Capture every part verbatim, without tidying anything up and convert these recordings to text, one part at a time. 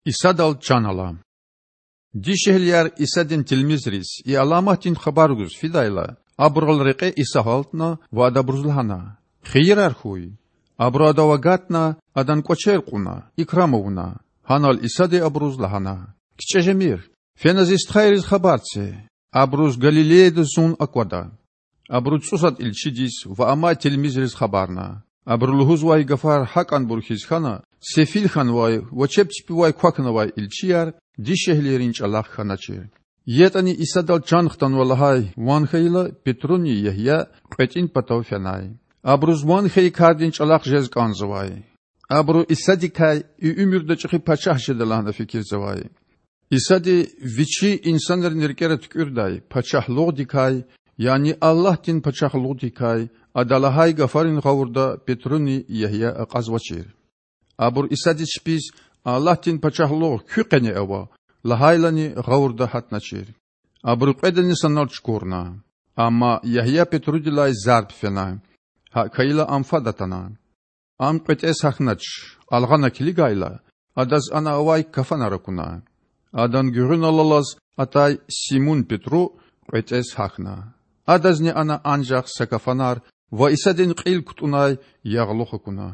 Исадал чан ала. Дишегьлияр Исадин тилмизриз и аламатдин хабар гуз фидайла, абурал рекье Иса гьалтна ва Ада абуруз лагьана: Хийирар хьуй. Абуру Адав агатна, Адан кӀвачер кьуна, икрам авуна. Гьанал Исади абуруз лагьана: КичӀе жемир. Фена Зи стхайриз хабар це. Абуруз Галилеяда Зун аквада. Абуру цӀусад илчидиз ва амай тилмизриз хабарна. Абуру лугьузвай гафар гьакӀанбур хьиз хьана, сефил хьанвай ва чеб чпивай квахьнавай илчияр дишегьлийрин чӀалахъ хьаначир. ЯтӀани Исадал чан хтанва лагьай ван хьайила, Петруни Ягья кьветӀин патав фенай. Абуруз ван хьайи кардин чӀалахъ жез кӀанзавай. Абуру Исадикай и уьмуьрда чӀехи пачагь жеда лагьана фикирзавай. Исади Вичи инсанрин рикӀера туькӀуьрдай Пачагьлугъдикай, яни Аллагьдин Пачагьлугъдикай Ада лагьай гафарин гъавурда Петруни Ягья акьазвачир. Абур Исадиз чпиз Аллагьдин Пачагьлугъ куь къене ава лагьайлани гъавурда гьатначир. Абуру кьведани санал чукурна. Амма Ягья Петрудилай зарб фена. ГьакӀ хьайила, ам фад атана. Ам кьветӀез гьахьнач, алгъана килигайла, адаз ана авай кафанар акуна. Адан гуьгъуьнал алаз атай Симун-Петру кьветӀез гьахьна. Адазни ана анжах са кафанар ва Исадин кьил кутӀунай ягълух акуна.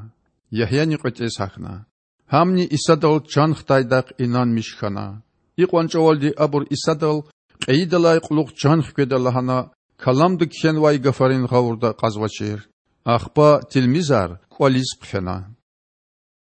Ягьяни кьветӀез гьахьна. Гьамни Исадал чан хтайдахъ инанмиш хьана. Икьван чӀавалди абур Исадал кьейидалай кьулухъ чан хкведа лагьана Каламда кхьенвай гафарин гъавурда акьазвачир. Ахпа тилмизар кӀвализ хъфена.